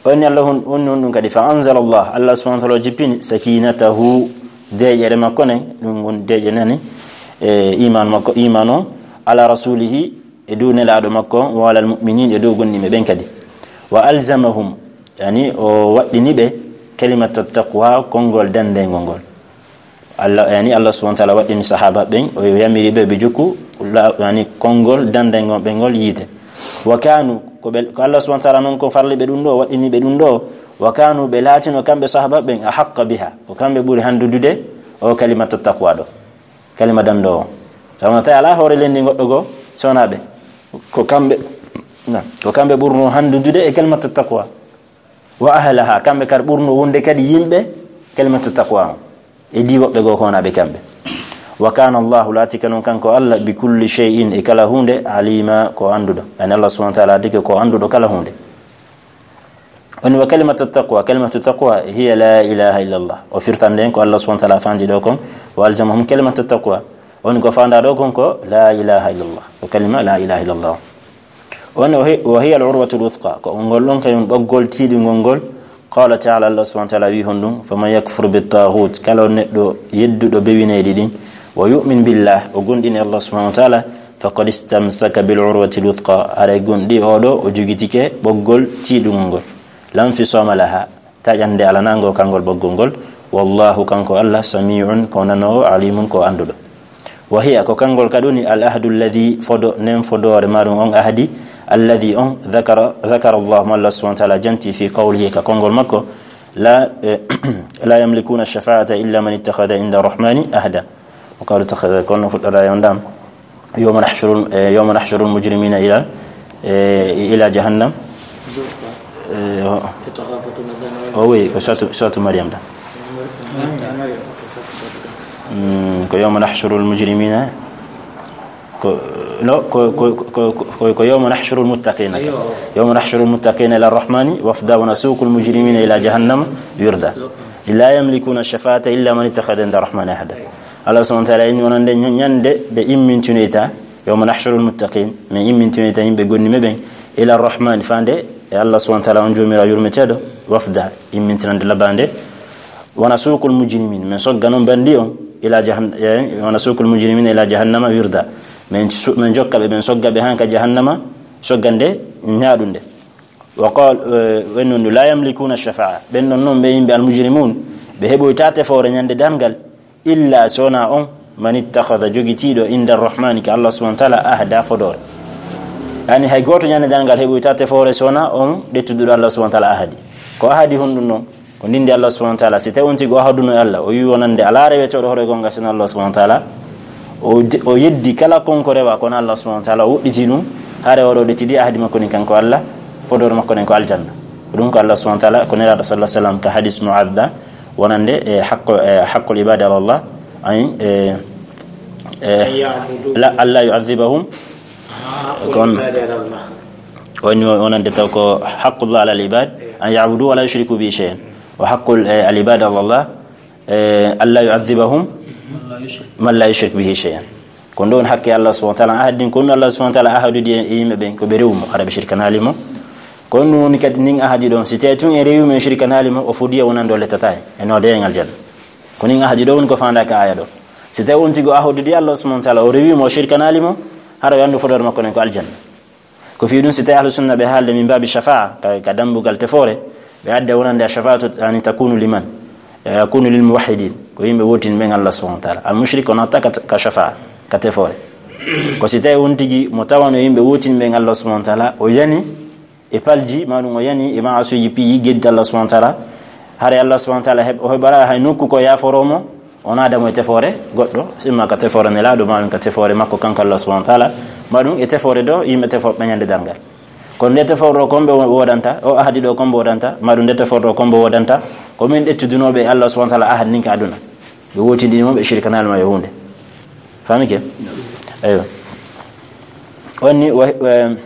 Woni Allah hon, woni on ɗum kadi, fa anzala Allah, Allah subhanahu wa ta'ala jippini sakinatahu, deeƴere makko nen, ɗum woni deeƴe nani, e iman makko, iman on, ala rasulihi, e dow nelaaɗo makko on, wa alal mu'minin, e dow gomɗinɓe ɓen kadi. Wa alzamahum, yani o waɗɗini ɓe kalimata taqwa, konngol dandengol ngol. Allah, yani Allah subhanahu wa ta'ala waɗɗini sahaba ɓen, o yamiri ɓe ɓe jokku la-, yani konngol dandengol ɓe ngol yiite. Wa kanu, ko ɓe, ko Allah subhanahu wa ta'ala non ko farli ɓe ɗum ɗo, waɗɗini ɓe ɗum ɗo. Wa kanu, ɓe laatino kamɓe sahaba ɓen, ahaqqa biha, ko kamɓe ɓuri handudude o kalimata taqwa ɗo. Kalima dando o. Sabu no tawi alaa hoore leydi goɗɗo goo, so wonaa ɓe. Ko kamɓe, na, ko kamɓe ɓurno handudude e kalimatu taqwa. Wa ahlaha, kamɓe kadi ɓurno wonde kadi yimɓe kalimatu taqwa on. E di woɓɓe goo ko wonaa ɓe kamɓe. Wa kana Allahu, laati ka non kanko Allah, bi kulli shay'in, e kala huunde, alima, ko annduɗo. Yani Allah subhanahu wa ta'ala adike ko annduɗo kala huunde. Woni wa kalimatu taqwa, kalimatu taqwa hiya la ilaha illallah. O firtande en ko Allah subhanahu wa ta'ala fandi ɗo kon, wa alzamahum kalimatu taqwa. Woni ko fanda ɗo kon ko la ilaha illallah. Ko kalima la ilaha illallah. Woni wa hi-, wa hiya al-urwatul wuthqa. Ko ngol ɗon kayum ɓoggol tiiɗungol ngol. Qala ta'ala, Allah subhanahu wa ta'ala wi honɗum, faman yakfur bit taghut, kala on neɗɗo yedduɗo bewineyɗi ɗin, wa yu'min billah, o gomɗini Allah subhanahu wa ta'ala, faqad istamsaka bil urwatil wuthqa, haray gomɗi oɗo o jogitike ɓoggol tiiɗungol ngol. La infisama laha, taƴande alanango kangol ɓoggol ngol. Wallahu, kanko Allah, sami'un, ko nanoowo, alimun, ko annduɗo. Wa hiya, ko kangol kadi woni al ahdu alladhi, fodo, nen fodoore maɗum on ahdi, alladhi on, dhakara, dhakara Allah, mo Allah subhanahu wa ta'ala janti fi qawlihi, ka konngol makko, la, eh, la yamlikuna shafa'ata illa man ittakhadha inda rahmani ahda. O kawri takhadha, kono fuɗɗora yon dam. Yawma nahshurul, eh, yawma nahshurul mujrimina ila, eh, ila jahannam. Eh, o, o wi, ko suratu, suratu Maryam da. Mm, ko yawma nahshurul mujrimina. Ko, no, ko, ko, ko, ko, ko yawma nahshurul muttaqina. Yawma nahshurul muttaqina ila rahmani wafda wa nasuqul mujrimina ila jahannama wirda. La yamlikuna shafa'ata illa man ittakhadha inda rahmani ahda. Allah subhanahu wa ta'ala inni wonande ñ-, ñande ɓe immintinoyta, yawma nahshurul muttaqin, min immintinoyta yimɓe gomɗinɓe ɓen, ila rahmani, fande e Allah subhanahu wa ta'ala on jomira yurmeteɗo, wafda, immintinande labande, wa nasuqul mujrimin, min sogga non bandi on, ila jahan-, eh, wa nasuqul mujrimina ila jahannama wirda. Min su-, min jokka ɓe, min sogga ɓe han ka jahannama, soggande ñaaɗunde. Wa qal, eh, wennon la yamlikuna shafa'a. Ɓen non non ɓe yimɓe al mujrimun, ɓe heɓoyta tefoore ñande darngal, illa sona on, man ittakhadha, jogitiiɗo, inda rahmani, ka Allah subhanahu wa ta'ala, ahda, fodoore. Yani hay gooto ñande darngal heɓoyta tefoore sona on ɗettuduɗo Allah subhanahu wa ta'ala ahadi. Ko ahadi honɗum non? Ko ndindi Allah subhanahu wa ta'ala. Si tawi on tigi o ahaduno e Allah, o wi wonande alaa rewetooɗo hoore gonga sina Allah subhanahu wa ta'ala, o de-, o yeddi kala kon ko rewa kono Allah subhanahu wa ta'ala, o woɗɗiti ɗum, hare oɗo ɗettidi ahadi makko ni kanko Allah, fodoore makko nen ko aljanna. Ko ɗum ko Allah subhanahu wa ta'ala, ko Nelaaɗo sallallahu alaihi wasallam ka hadis Mu'adh da, wonande e haqqo, e haqqul ibadi ala Allah, ay, e, e, an ya'budu. La, alla yu'adhibahum. Haqqul ibadi ala Allah. Woni wonande taw ko haqqullah ala al ibad, an ya'budu wa la yushriku bihi shay'an. Wa haqqul, e, al ibadi ala Allah, e, alla yu'adhibahum man la yushrik bihi shay'an. Ko ɗon haqqe Allah subhanahu wa ta'ala ahadin, ko ɗum Allah subhanahu wa ta'ala ahadudi e yimɓe ɓen, ko ɓe rewu mo, hara ɓe shirkanaali mo. On ɗum woni kadi nin ahadi ɗon, si tawi tun en rewi mo, en shirkanaali mo, o fodiya wonande o lettataa en, e noodee en aljanna. Ko nin ahadi ɗo woni ko faandaa ka aaya ɗo. Si tawi on tigi o ahodidi Allah subhanahu wa ta'ala, o rewi mo, o shirkanaali mo, hara o anndu fodoore makko nden ko aljanna. Ko fii ɗum si tawi ahlu sunna ɓe haalde min baabi shafa'a, ka, ka dambugal tefoore, ɓe adda wonande a shafa'atu, yani, takunu liman? E, yakunu lil muwahhidin, ko yimɓe wootinɓe ɓen Allah subhanahu wa ta'ala. Al mushrik o natta ka, ka shafa'a, ka tefoore. Ko si tawi on tigi mo tawano yimɓe wootinɓe ɓen Allah subhanahu wa ta'ala, o yani e palji, ma ɗum o yani e ma'asuuji piiji geddi Allah subhanahu wa ta'ala. Hare Allah subhanahu wa ta'ala heɓ-, o heɓara hay nokku ko yaaforo mo, o naada mo e tefoore goɗɗo, imma ka tefoore Nelaaɗo, ma ɗum ka tefoore makko kanko Allah subhanahu wa ta'ala, ma ɗum e tefoore ɗo yimɓe tefoɓe ñande darngal. Kono nde tefoore ɗo ko homɓe wo-, woodanta, o ahadi ɗo ko homɓe woodanta, ma ɗum nde tefoore ɗo ko homɓe woodanta, ko min ƴettudunooɓe e Allah subhanahu wa ta'ala ahadi ndin ka aduna. Ɓe wootindini mo, ɓe shirkanaali mo e huunde. Faamike? Eyyo. On ni, wa-, wa-,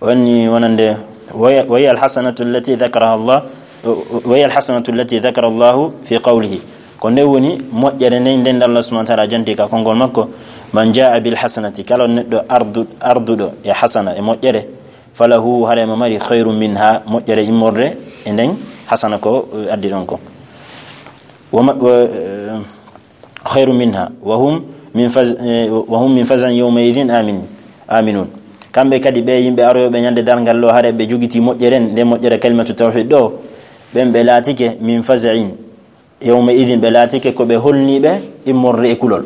on ni wonande, wa hiya, wa hiya al-hasanatu allati dhakaraha Allah, wa hiya al-hasanatu allati dhakara Allahu fi qawlihi. Ko nde woni moƴƴere nden, nden Allah subhanahu wa ta'ala janti ka konngol makko, "Man jaa'a bil hasanati," kala on neɗɗo ardu-, arduɗo e hasana, e moƴƴere, "falahu," hara mo mari, "khayrun minha," moƴƴere immorde e nden hasana ko, eh, addi ɗon ko. Wa ma-, wa, eh, "khayrun minha, wa hum min faz-, eh, wa hum min faza'in yawma idhin amin-, aminun." Kamɓe kadi ɓe yimɓe aroyooɓe ñande darngal ɗo, hare ɓe jogiti moƴƴere, nde moƴƴere kalimatu tawhid ɗo, ɓen ɓe laatike min faza'in. Yawma idhin ɓe laatike ko ɓe holniiɓe immorde e kulol.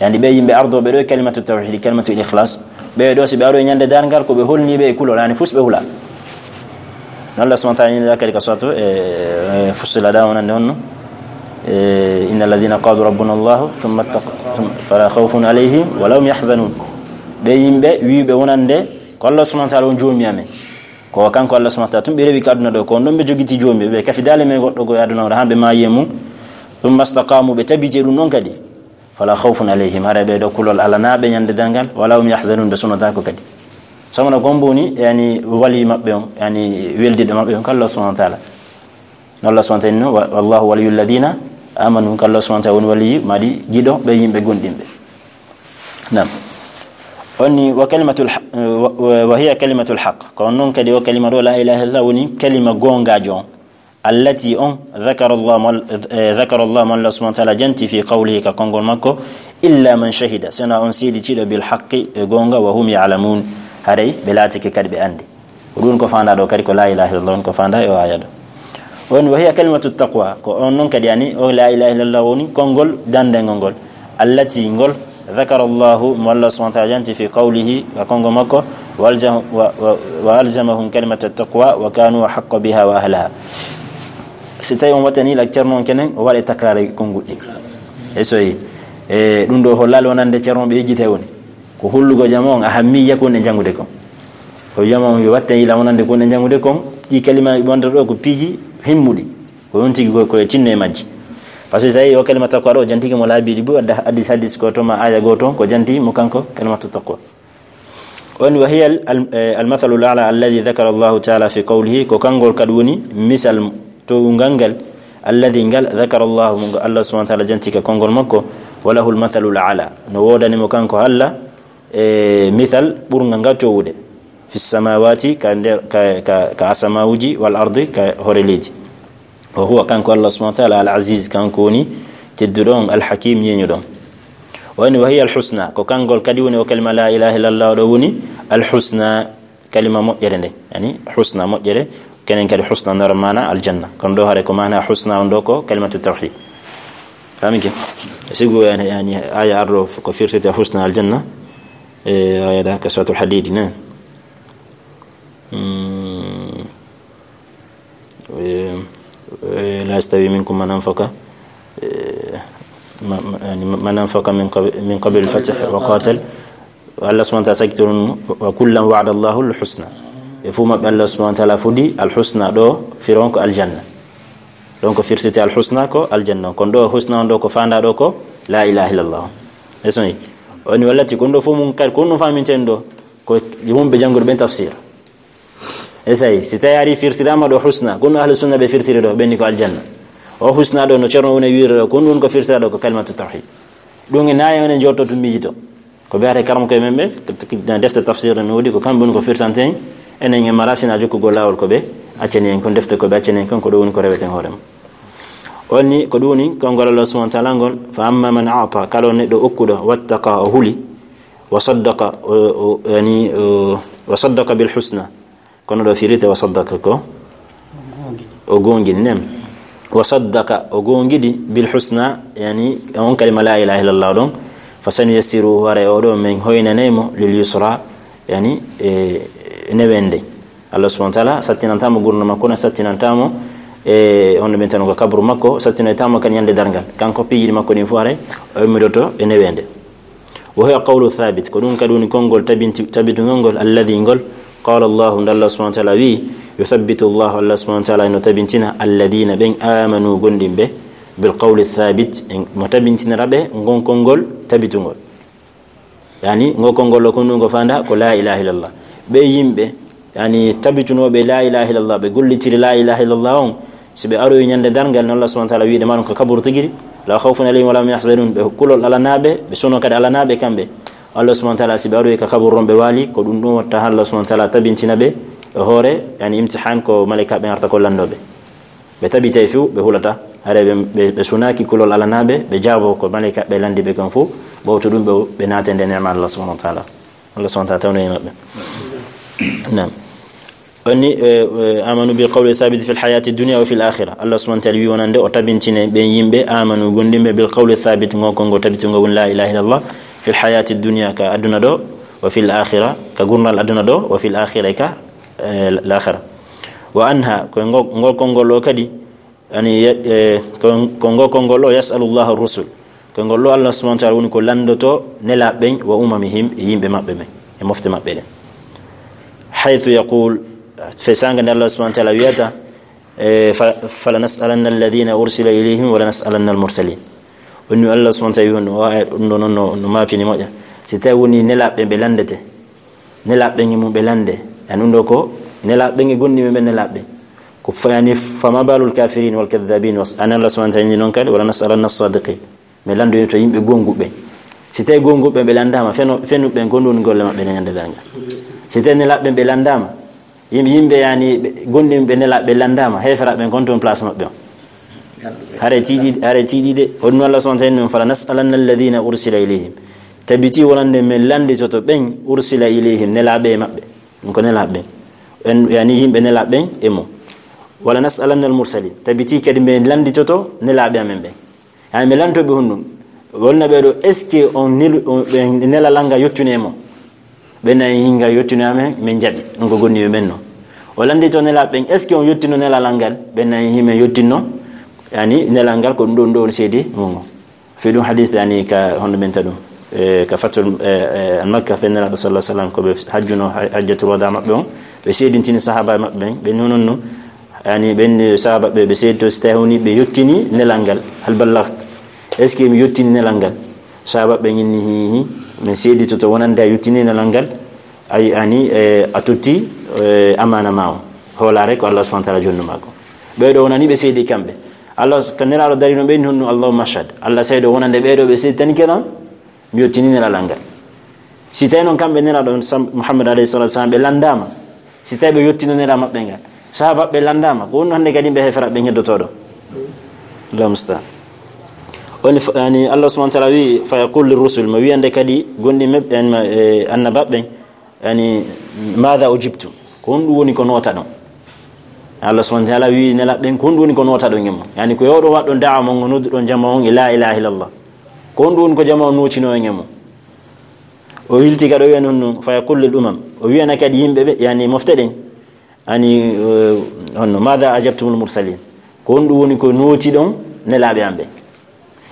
Yani ɓe yimɓe ardooɓe ɗo e kalimatu tawhid, kalimatu ikhlas, ɓe ɗo si ɓe aroyi ñande darngal ko ɓe holniiɓe e kulol, yani fus ɓe hula. No Allah subhanahu wa ta'ala ina kadi ka suratu, e, e, Fussilat ɗa wonande honno. E, "Inna alladhina qalu rabbuna Allahu, thumma ittaq-, thumma, fala khawfun alayhim wa lahum yahzanun." Ɓe yimɓe wiiɓe wonande ko Allah subhanahu wa ta'ala on joomi amen. Ko kanko Allah subhanahu wa ta'ala tun ɓe rewi ka aduna ɗo, ko on ɗon ɓe jogiti joomi, ɓe kafidaali men goɗɗo ko e aduna o, haa ɓe maayi e mum. "Thumma istaqamu," ɓe tabiti e ɗum ɗon kadi. "Fala khawfun alayhim," hara ɓe ɗo kulol alanaa ɓe ñande darngal, "wa lahum yahzanun," ɓe sunotaako kadi. Sabu no ko on woni, yani, wali maɓɓe on, yani, weldiɗo maɓɓe on, ko Allah subhanahu wa ta'ala. No Allah subhanahu wa ta'ala inno, "Wa-, wallahu waliyul ladina amanu," ko Allah subhanahu wa ta'ala woni waliyi, madi giɗo ɓe yimɓe gomɗinɓe. Naam. On ni, wa kalimatul ha-, wa, wa, wa hiya kalimatul haq. Ko on non kadi o kalima ɗo, la ilaha illallah, woni kalima goongaajo on. Allati on, dhakara Allah, mo Al-, eh, dhakara Allah, mo Allah subhanahu wa ta'ala janti fi qawlihi, ka konngol makko, "Illa man shahida," sena on seeditiiɗo bil haqqi, e goonga, wa hum ya'lamun, haray ɓe laatike kadi ɓe anndi. Ko ɗum ko faandaa ɗo kadi ko la ilaha illallah, on ko faandaa e o aaya ɗo. On wa hiya kalimatu taqwa, ko on non kadi yani, o la ilaha illallah woni konngol dandengol ngol. Allati ngol, dhakara Allahu, mo Allah subhanahu wa ta'ala janti fi qawlihi, ka konngol makko, wa alzam-, wa, wa, wa alzamahum kalimata taqwa, wa kanu ahaqqa biha wa ahlaha. Si tawi on wattani la Ceerno on kenen, o waɗa takraare konnguɗi. E soyi, e ɗum ɗo hollaali wonande Ceerno ɓe yejjitay woni. Ko hollugo jama on ahammiya ko woni e janngude kon. Ko jama on yo watte yila wonande ko woni e janngude kon, ɗi kalimaaji wonde ɗo ko piiji himmuɗi. Ko on tigi ko, ko e tinno e majji. Par ce que so a yii o kalima taqwa ɗo, jantike mo laabi ɗiɗi, ɓuri wadde hadis, hadis ko to ma aya gooto, ko janti mo kanko kalimatu taqwa. On wa hiya al, al, eh, al mathalu al a'la alladhi dhakara Allahu ta'ala fi qawlihi, ko kangol kadi woni misal towungal ngal, alladhi ngal dhakara Allahu, mo Allah subhanahu wa ta'ala janti ka konngol makko, wa lahu al mathalu al a'la. No woodani mo kanko Allah, e misal ɓurngal ngal towude. Fi samawati, ka nder, ka, ka, ka asamawuji, wal ardi, ka hoore leydi. Wa huwa, kanko Allah subhanahu wa ta'ala, al aziz, kanko woni tedduɗo on, al hakim, ñeeñuɗo on. O woni, wa hiya al husna, ko kangol kadi woni o kalima la ilaha illallah ɗo woni al husna, kalima moƴƴere nde. Yani, husna moƴƴere, kenen kadi husna nora maana aljanna. Kono ɗo hare ko maana husna on ɗo ko kalimatu tawhid. Faminke? Sigu yani, yani aya arɗo ko firsete husna aljanna. E aya ɗa ka suratul hadid ne. Hmm. Eh, eh, la yastawi minkum man anfaqa, eh, ma, ma, yani, man anfaqa min qab-, min qabli al-fath wa qatal. Allah subhanahu wa ta'ala sakkitori ɗum, "Wa kullan wa'ada Allahu al-husna." Ɓe fuu maɓɓe Allah subhanahu wa ta'ala fodi al-husna ɗo, firon ko aljanna. Donc, firsite al-husna ko aljanna. Kono ɗo husna on ɗo ko fanda ɗo ko la ilaha illallah. E soyi. Oni wallati, kono ɗo fof mum kadi, kono ɗum faminten ɗo, ko yimɓe janngude ɓen tafsir. E sayi, si tawi ari firtirama ɗo husna, kono ahlu sunna ɓe firtiri ɗo, ɓenni ko aljanna. O husna ɗo no Ceerno woni wiire ɗo, kono ɗum ko firtira ɗo ko kalimatu tawhid. Ɗum e nayi on en jotto tun miijito. Ko ɓe hare karam koye men ɓe, defte tafsir no woodi, ko kamɓe woni ko firtante en, Enen en mara sina jokkugol laawol ko ɓe accani en kon, defte ko ɓe accani en kon, ko ɗum woni ko reweten hoore mum. Woni ko ɗum woni konngol Allah subhanahu wa ta'ala ngol, "Fa amma man a'ta," kala on neɗɗo okkuɗo, "wattaqa," o huli, "wa saddaqa," o, o, yani, o, "wa saddaqa bil husna." Kono ɗo firite "wa saddaqa" ko o goongini, nem. "Wa saddaqa," o goongidi, "bil husna," yani on kalima la ilaha illallah ɗon, "fa sanuyassiruhu," haray o ɗo men hoynanay mo, "lil yusra," yani e newende. Allah subhanahu wa ta'ala sattinanta mo gurdam makko, na sattinanta mo e hono ɓen tan ko kabru makko, sattinoyta mo kan ñande darngal. Kanko piiji makko ɗin fof haray o immidoto e newende. "Wa huwa qawlu thabit," ko ɗum kadi woni konngol tabinti-, tabitungol ngol, "alladhi," ngol, "qala Allahu," nde Allah subhanahu wa ta'ala wi, "yuthabbitu Allahu," Allah subhanahu wa ta'ala no tabintina, "alladhina," ɓen, "amanu," gondimɓe, "bil qawli thabit," en, mo tabintinira ɓe ngon konngol tabitungol. Yani, ngo konngol ɗo ko ndu ngo fanda ko la ilaha illallah. Ɓe yimɓe, yani, tabitunooɓe la ilaha illallah, ɓe gollitiri la ilaha illallah on, si ɓe aroyi ñande darngal, no Allah subhanahu wa ta'ala wiide ma ɗum ko kaburu tigiri, "la khawfun alayhim wa la hum yahzanun," ɓe kulol alanaɓe, ɓe suno kadi alanaɓe kamɓe. Allah subhanahu wa ta'ala, si ɓe aroyi ka kaburu on ɓe waali, ko ɗum ɗum watta Allah subhanahu wa ta'ala tabintina ɓe e hoore, yani, imtihan ko malaika ɓe arta ko landoɓe. Ɓe tabitay few, ɓe hulata. Haray ɓe, ɓe, ɓe sunaaki kulol alanaɓe, ɓe jaabo ko malaika ɓe landi ɓe kon fof. Ɓawto ɗum ɓe, ɓe naate nde neema Allah subhanahu wa ta'ala. Allah subhanahu wa ta'ala tawno e maɓɓe. Naam. Onni, eh, eh, "amanu bil qawli thabit fil hayati dunya wa fil akhirah." Allah subhanahu wa ta'ala wi wonande o tabintine ɓen yimɓe, "amanu," gondimɓe, "bil qawli thabit," ngo konngol tabitungo woni la ilaha illallah, "fil hayati dunya," ka aduna ɗo, "wa fil akhirah," ka gurdal aduna ɗo, "wa fil akhirah," ka, eh, l-akhirah. Wa anha, ko ngo-, ngol konngol ɗo kadi, yani, ye-, eh, ko, ko ngo konngol ɗo, "yas'alu Allahu rusul." Ko ngol ɗo Allah subhanahu wa ta'ala woni ko landoto nelaaɓe ɓen, "wa umamihim," e yimɓe maɓɓe ɓen, e mofte maɓɓe ɗen. "Haythu yaqul," fe sanga nde Allah subhanahu wa ta'ala wiyata, eh, fa, "falanas'alanna alladhina ursila ilayhim wa lanas'alanna al-mursalin." Woni Allah subhanahu wa ta'ala wi on, o aya ɗum ɗo noon no, no maapini moƴƴa. Si tawi woni nelaaɓe ɓe landete, nelaaɓe ɓen e mum ɓe lande. Yani ɗum ɗo ko nelaaɓe ɓen e gondiiɓe ɓen nelaaɓe ɓen. Ko fa-, yani, "fama balul kafirin wal kadhabin was-," an Allah subhanahu wa ta'ala inni noon kadi, "wa lanas'alanna as-sadiqin." Mi landoyto yimɓe gonguɓe. Si tawi gonguɓe ɓe landama, feno-, fenuɓe ɓen ko ɗum woni golle maɓɓe ne ñande darngal. Si tawi nelaaɓe ɓen ɓe landama, yim-, yimɓe yani ɓe, gondiiɓe nelaaɓe ɓe landama, heeferaɓe ɓen kon toon place maɓɓe on. Hare tiiɗi, hare tiiɗi de. Hoɗum Allah subhanahu wa ta'ala, "fala nas'alanna alladhina ursila ilayhim." Tabiti wonande men landitoto ɓen ursila ilayhim, nelaaɓe e maɓɓe. Ɗum ko nelaaɓe ɓen. En, yani yimɓe nelaaɓe ɓen e mo. "Wala nas'alanna al-mursalin." Tabiti kadi men landitoto nelaaɓe amen ɓen. Yani men lantoɓe honɗum? Wonna ɓe ɗo, est-ce que on nelu-, on, ɓe nela langa yottune mo? Ɓe nayi hinga yottune amen, men jaɓi. Ɗum ko gonniɓe men no. O landito nelaaɓe ɓen, est-ce que on yottino nelalal ngal? Ɓe nayi himen yottinno. Yani nelal ngal ko ɗum ɗo, ɗum ɗo woni seedi mum. Fi ɗum hadith, yani, ka hono men ta ɗum, eh, ka fatul, eh, eh, al-Makka, fe Nelaaɗo sallallahu alaihi wasallam, ko ɓe hajjuno ha-, hajjatul wada maɓɓe on, ɓe seedintini sahaba maɓɓe ɓen, ɓe nonon no, yani, ɓen sahaba ɓe, ɓe seedito si tawi woni ɓe yottini nelal ngal, "hal ballaght?" Est-ce que mi yottini nelal ngal? Sahaba ɓe inni, "Hi, hi, min seeditoto wonande a yottini nelal ngal, ay, ani, eh, a totti, eh, amana ma on, hoolare ko Allah subhanahu wa ta'ala jonnuma ko." Ɓe ɗo wonani ɓe seedi kamɓe. Allah, ko Nelaaɗo darino ɓe, inni honno, "Allahumma ashhad." Allah seedo wonande ɓe ɗo ɓe seeditani kenan, mi yottini Nelaaɗo ngal. Si tawi noon kamɓe Nelaaɗo sam-, Muhammad alayhi salatu wasalam ɓe landama, si tawi ɓe yottino Nelaaɗo maɓɓe ngal, sahaba ɓe landama, ko honno hande kadi ɓe heefera ɓe heddotoɗo? Allahu musta'an. Woni f-, yani Allah subhanahu wa ta'ala wi, "Fa yaqul lir rusul," mo wiyande kadi gondi meb-, yani ma, eh, annaba ɓen, Yani, "Maada ujibtum?" Ko honɗum woni ko nootaɗon? Allah subhanahu wa ta'ala wi nelaaɓe ɓen, "Ko honɗum woni ko nootaɗon e mum?" Yani, ko yo oɗon waɗɗon da'wa mon, on nodduɗon jama on e la ilaha illallah. Ko honɗum woni ko jama on nootino en e mum? O hilti kadi o wiya noon, "Fa yaqul lil umam." O wiyana kadi yimɓe ɓe, yani, mofte ɗen. Ani, eh, honno, "Maada ajabtumul mursalin?" Ko honɗum woni ko nootiɗon nelaaɓe am ɓen?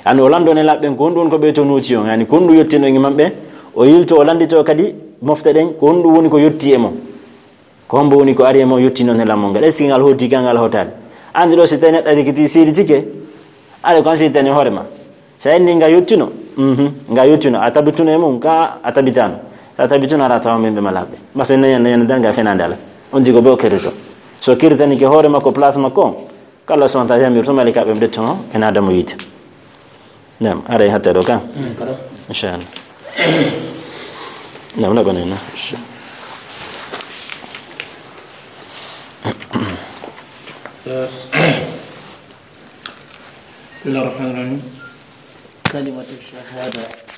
Ani o lanndo nelaaɓe ɓen, ko honɗum woni ko ɓe to nooti on? Yani, ko honɗum yottino e maɓɓe? O yilto, o lanndito kadi mofte ɗen, ko honɗum woni ko yotti e mum? Ko hombo woni ko ari e mum yottino nelal mum ngal? Est-ce que ngal hooti ka ngal hootaani? Anndi ɗo, si tawi neɗɗo ari kiti seeditike, ari ko an seeditani hoore ma. Sa inni nga yottino, mhm, nga yottino, a tabituno e mum, ka a tabitaano. Sa tabituno, ara tawa min ɓe malaaɓe. Masa nani, nani, nani, nga fenaande ala. On tigi ko ɓe o kerrito. So kerritanike hoore makko, place makko on, Ko Allah subhanahu wa ta'ala yamirto malaikaaɓe ɓe ɓe ndettono en Aadama yiite. Naam, aray hatta ɗo kan. Mm, kala. Inchallah. Naam, na ɓanay na. بسم الله الرحمن الرحيم. كلمة الشهادة.